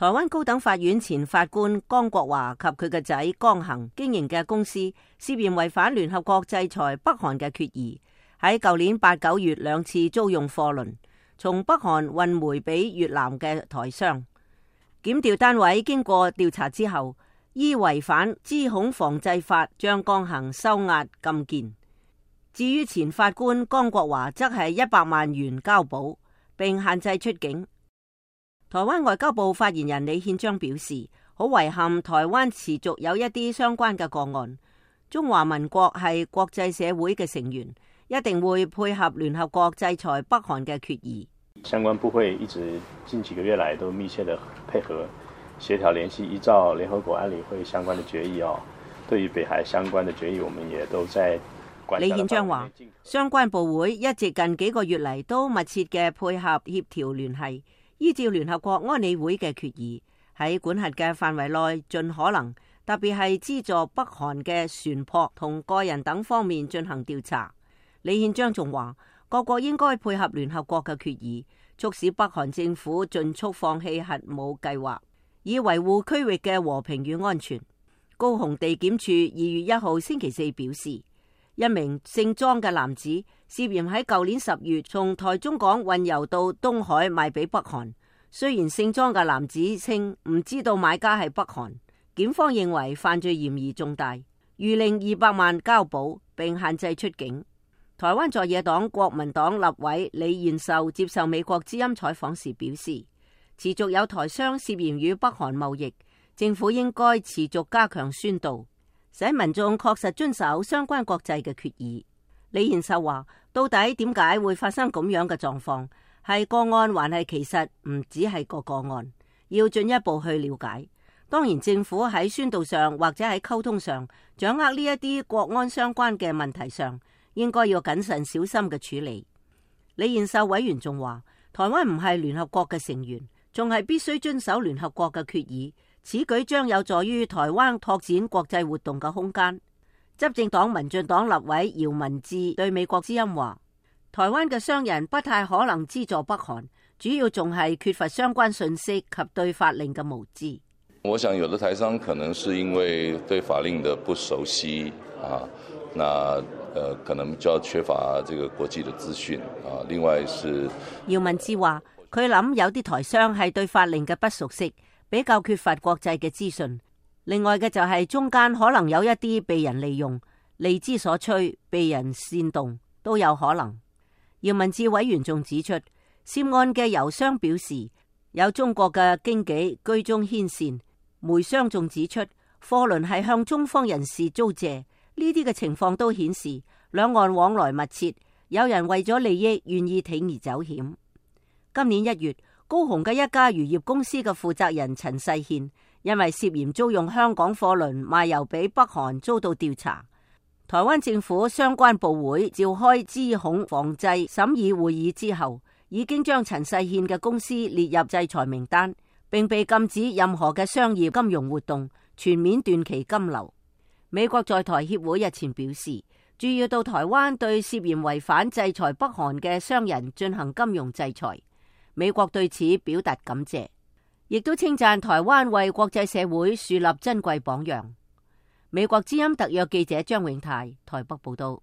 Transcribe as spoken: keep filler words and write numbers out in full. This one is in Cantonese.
台灣高等法院前法官江國華及佢嘅仔江恒經營嘅公司涉嫌違反聯合國制裁北韓嘅決議，喺舊年八九月兩次租用貨輪從北韓運煤俾越南嘅台商。檢調單位經過調查之後，依違反資恐防制法將江恒收押禁見。至於前法官江國華則係一百萬元交保，並限制出境。台灣外交部發言人李憲章表示，好遺憾台灣持續有一啲相關嘅個案。中華民國係國際社會嘅成員，一定會配合聯合國制裁北韓嘅決議。相關部會一直近幾個月來都密切的配合協調聯繫，依照聯合國安理會相關的決議哦，對於北韓相關的決議，我們也都在關。李憲章話，相關部會一直近幾個月嚟都密切嘅配合協調聯繫。依照聯合國安理會嘅決議，喺管轄嘅範圍內盡可能，特別係資助北韓嘅船舶同個人等方面進行調查。李憲章仲話，各國應該配合聯合國嘅決議，促使北韓政府盡速放棄核武計劃，以維護區域嘅和平與安全。高雄地檢署二月一號星期四表示，一名姓莊嘅男子涉嫌喺舊年十月從台中港運油到東海賣俾北韓。雖然姓莊嘅男子稱唔知道買家係北韓，檢方認為犯罪嫌疑重大，諭令二百萬交保並限制出境。台灣在野黨國民黨立委李彥秀接受美國之音採訪時表示，持續有台商涉嫌與北韓貿易，政府應該持續加強宣導，使民眾確實遵守相關國際嘅決議。李彥秀話，到底點解會發生咁樣嘅狀況？係個案還係其實唔只係個個案，要進一步去了解。當然政府喺宣導上或者喺溝通上掌握呢一啲國安相關嘅問題上，應該要謹慎小心嘅處理。李彥秀委員仲話，台灣唔係聯合國嘅成員，仲係必須遵守聯合國嘅決議，此舉將有助於台灣拓展國際活動嘅空間。執政黨民進黨立委姚文智對美國之音話，台灣嘅商人不太可能資助北韓，主要仲係缺乏相關信息及對法令嘅無知。我想有的台商可能是因為對法令的不熟悉啊，那呃可能就要缺乏這個國際的資訊啊。另外是姚文智話，佢諗有啲台商係對法令嘅不熟悉，比較缺乏國際嘅資訊。另外嘅就係中間可能有一啲被人利用、利之所趨、被人煽動都有可能。姚文智委員仲指出，涉案嘅油商表示有中國嘅經紀居中牽線，煤商仲指出貨輪係向中方人士租借，呢啲嘅情況都顯示兩岸往來密切，有人為咗利益願意鋌而走險。今年一月，高雄嘅一家漁業公司嘅負責人陳世憲因為涉嫌租用香港貨輪賣油俾北韓遭到調查。台灣政府相關部會召開資恐防制審議會議之後，已經將陳世憲嘅公司列入制裁名單，並被禁止任何嘅商業金融活動，全面斷其金流。美國在台協會日前表示，注意到台灣對涉嫌違反制裁北韓嘅商人進行金融制裁，美國對此表達感謝，亦都稱讚台灣為國際社會樹立珍貴榜樣。美國之音特約記者張永泰台北報道。